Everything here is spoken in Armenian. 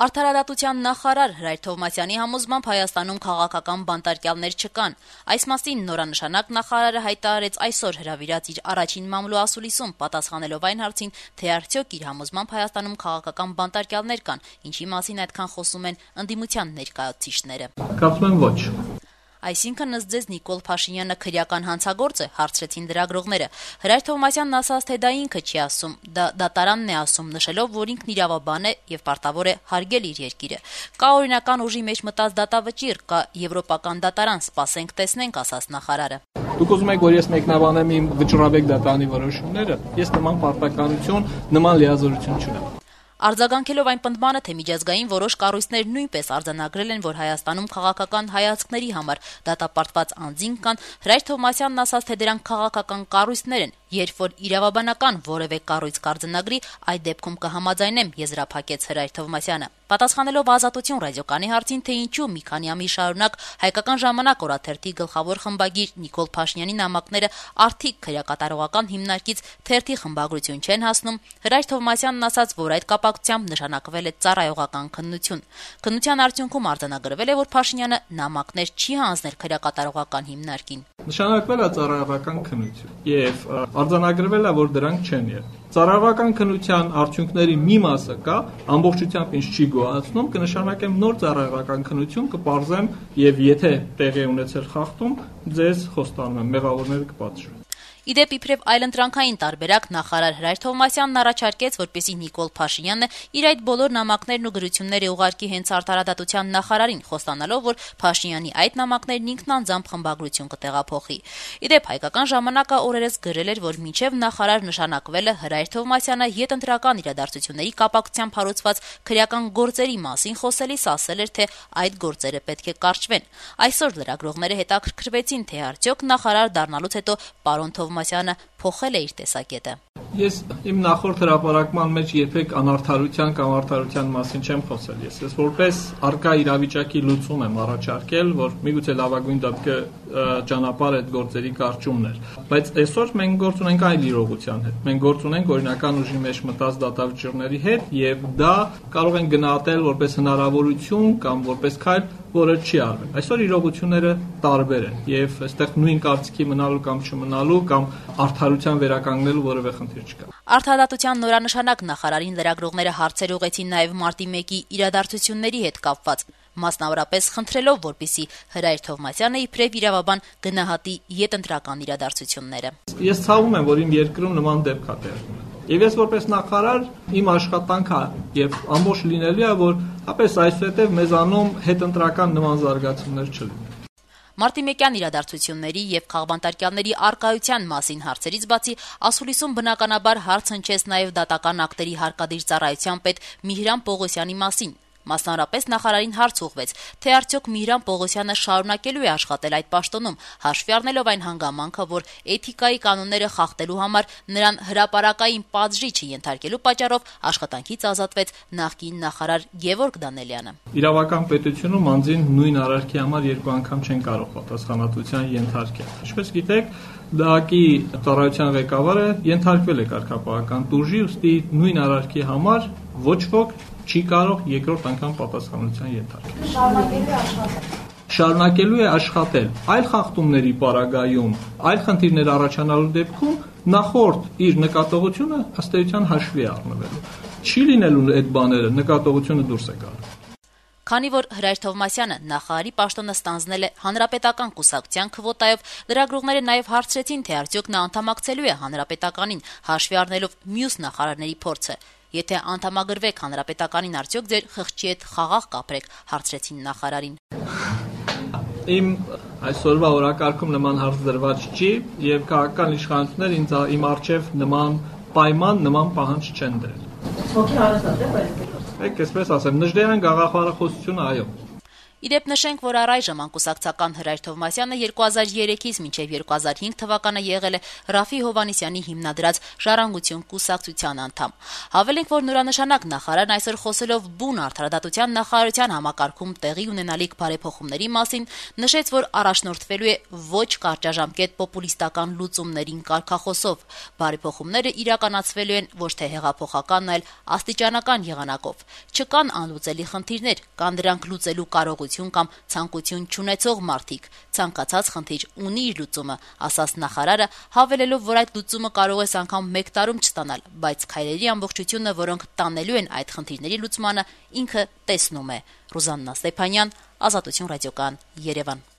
Արդարադատության նախարար Հրայր Թովմասյանի համոզմամբ Հայաստանում քաղաքական բանտարկյալներ չկան։ Այս մասին նորանշանակ նախարարը հայտարարեց այսօր հրավիրած իր առաջին մամլո ասուլիսում, պատասխանելով այն հարցին, թե արդյոք իր համոզմամբ Հայաստանում քաղաքական բանտարկյալներ կան, ինչի մասին այդքան խոսում են ընդդիմության ներկայացուցիչները։ Կարծում եմ ոչ։ Այսինքն ըստ ձեզ Նիկոլ Փաշինյանը քրեական հանցագործ է, հարցրեցին լրագրողները։ Հրայր Թովմասյանն ասաց, թե դա ինքը չի ասում, դա դատարանն է ասում, նշելով, որ ինքն իրավաբան է եւ պարտավոր է հարգել իր երկիրը։ Կա օրինական ուժի մեջ մտած դատավճիռ, կա եվրոպական դատարան, սպասենք տեսնենք, ասաց նախարարը։ Դուք ուզում եք, որ ես մեկնաբանեմ իմ վճռաբեկ դատարանի որոշումները, ես նման պարտականություն, նման լիազորություն չունեմ։ Արձագանքելով այն պնդմանը, թե միջազգային որոշ կառույցներ նույնպես արձանագրել են, որ Հայաստանում քաղաքական հայացքների համար դատապարտված անձինք կան, Հրայր Թովմասյանն ասաց, թե դրանք քաղաքական կառույցներ են, երբ որ իրավաբանական որևէ կառույց կարձանագրի, այդ դեպքում կհամաձայնեմ, եզրափակեց Հրայր Թովմասյանը։ Պատասխանելով Ազատություն ռադիոկանի հարցին, թե ինչու մի քանի ամիս շարունակ Հայկական ժամանակ օրաթերթի գլխավոր խմբագիր Նիկոլ Փաշինյանի նամակները արդիկ քրեակատարողական հիմնարկից թերթի խմբագրություն չեն հասնում, Հրայր Թովմասյանն ասաց, որ այդ կապակցությամբ նշանակվել է ծառայողական քննություն։ Քննության արդյունքում արձանագրվել է, որ Փաշինյանը նամակներ չի հանձնել քրեակատարողական հիմնարկին։ Նշանակվել է ծառայողական քննություն եւ արձանագրվել է, որ դրանք չեն եղել։ Ծառայողական քննության արդյունքների մի մասը կա, ամբողջությամբ ինչ չի գոհացնում, կնշանակեմ նոր ծառայողական քննություն, կպարզեմ եւ եթե տեղի ունեցել խախտում, ձեզ խոստանում եմ, մեղավորները կպատժվեն։ Իդեպ իբրև այլընտրանքային տարբերակ նախարար Հրայր Թովմասյանն առաջարկեց, որպեսզի Նիկոլ Փաշինյանը իր այդ բոլոր նամակներն ու գրությունները ուղարկի հենց արդարադատության նախարարին, խոստանալով, որ Փաշինյանի այդ նամակներն ինքն անձամբ խմբագրություն կտեղափոխի։ Իդեպ Հայկական ժամանակը օրերս գրել էր, որ մինչև նախարար նշանակվելը Հրայր Թովմասյանը յետընտրական իրադարձությունների կապակցությամբ հարուցված քրեական գործերի մասին խոսելիս ասել էր, թե այդ գործերը պետք է կարճվեն։ Այսօր լրագրողները հետաքրքրվեցին, թե արդյոք նախարար դառնալուց հետո պարոն Թովմասյանը փոխել է իր տեսակետը։ Ես իմ նախորդ հրապարակման մեջ երբեք անարդարության կամ արդարության մասին չեմ խոսել։ Ես որպես արկա իրավիճակի լուծում եմ առաջարկել, որ միգուցե լավագույն դեպքը ճանապարհ այդ գործերի կարճումն էր։ Բայց այսօր մենք գործ ունենք այլ իրողության հետ։ Մենք գործ ունենք օրինական ուժի մեջ մտած դատավճիռների հետ եւ դա կարող են գնահատել որպես հնարավորություն կամ որպես քայլ, որը չի արվել։ Այսօր իրողությունները տարբեր են եւ այստեղ նույն կարծիքի մնալու կամ չմնալու կամ արդարության վերականգնելու որևէ խնդիր չկա։ Արդարադատության նորանշանակ նախարարին լրագրողները հարցեր ուղղեցին նաեւ մարտի 1-ի իրադարձությունների հետ կապված, մասնավորապես խնդրելով, որպեսզի Հրայր Թովմասյանը իբրև իրավաբան գնահատի յետընտրական իրադարձությունները։ Ես ցավում եմ, որ իմ երկրում նման դեպք է տեղի ունենում։ Եվ ես որպես նախարար իմ աշխատանքը եւ ամբողջ լինելու է, որ ապես այսուհետեւ մեզանում հետընտրական նման զարգացումներ չլինեն։ Մարտի 1-յան իրադարձությունների եւ քաղբանտարկյալների արկայության մասին հարցերից բացի ասուլիսում բնականաբար հարց հնչեց նաեւ դատական ակտերի հարկադիր ծառայության պետ Միհրան Պողոսյանի մասին։ Մասնավորապես նախարարին հարց ուղղվեց, թե արդյոք Միհրան Պողոսյանը շարունակելու է աշխատել այդ պաշտոնում, հաշվի առնելով այն հանգամանքը, որ էթիկայի կանոնները խախտելու համար նրան հրապարակային պատժի չենթարկելու պատճառով աշխատանքից ազատվեց նախկին նախարար Գևորգ Դանելյանը։ Իրավական պետությունում անձին նույն արարքի համար երկու անգամ չեն կարող պատասխանատվության ենթարկել։ Ինչպես գիտեք, ԴԱԿ-ի ծառայության ղեկավարը ենթարկվել է կարգապահական տուժի, ուստի նույն արարքի համար ոչ ոք չի կարող երկրորդ անգամ պատասխանատվության ենթարկել։ Շարունակելու է աշխատել այլ խախտումների պարագայում, այլ խնդիրներ առաջանալու դեպքում նախորդ իր նկատողությունը ըստ էության հաշվի է առնվելու։ Չի լինելու այդ բաները, նկատողությունը դուրս է գալու։ Քանի որ Հրայր Թովմասյանը նախարարի պաշտոնը ստանձնել է հանրապետական կուսակցության քվոտայով, լրագրողները նաև հարցրեցին, թե արդյոք նա անդամակցելու է հանրապետականին, հաշվի առնելով մյուս նախարարների փորձը։ Եթե անդամագրվեք հանրապետականին, արդյոք ձեր խղճի հետ խաղաղ կապրեք, հարցրեցին նախարարին։ Իմ այսօրվա օրակարգում նման հարց դրված չի եւ քաղաքական իշխանությունները իմ արչեւ նման պայման, նման պահանջ չեն դրել։ Եկեք այսպես ասեմ, Նժդեհյան գաղափարախոսությունը այո։ Իդեպ նշենք, որ առայժմ անկուսակցական Հրայր Թովմասյանը 2003-ից մինչև 2005 թվականը եղել է Ռաֆի Հովհաննիսյանի հիմնադրած «Ժառանգություն» կուսակցության անդամ։ Հավելենք, որ նորանշանակ նախարարն այսօր խոսելով բուն արդարադատության նախարարության համակարգում տեղի ունենալիք բարեփոխումների մասին նշեց, որ առաջնորդվելու է ոչ կարճաժամկետ պոպուլիստական լուծումներին կարգախոսով։ Բարեփոխումները իրականացվելու են ոչ թե հեղափոխական, այլ աստիճանական եղանակով։ Չկան անլուծելի խնդիրներ, կան դրանք լուծելու կարողություն կամ ցանկություն չունեցող մարդիկ։ Ցանկացած խնդիր ունի իր լուծումը, ասաց նախարարը, հավելելով, որ այդ լուծումը կարող է անգամ 1 տարում չստանալ, բայց քայլերի ամբողջությունը, որոնք տանելու են այդ խնդիրների լուծմանը, ինքը տեսնում է։ Ռուզաննա Ստեփանյան, Ազատություն ռադիոկան, Երևան։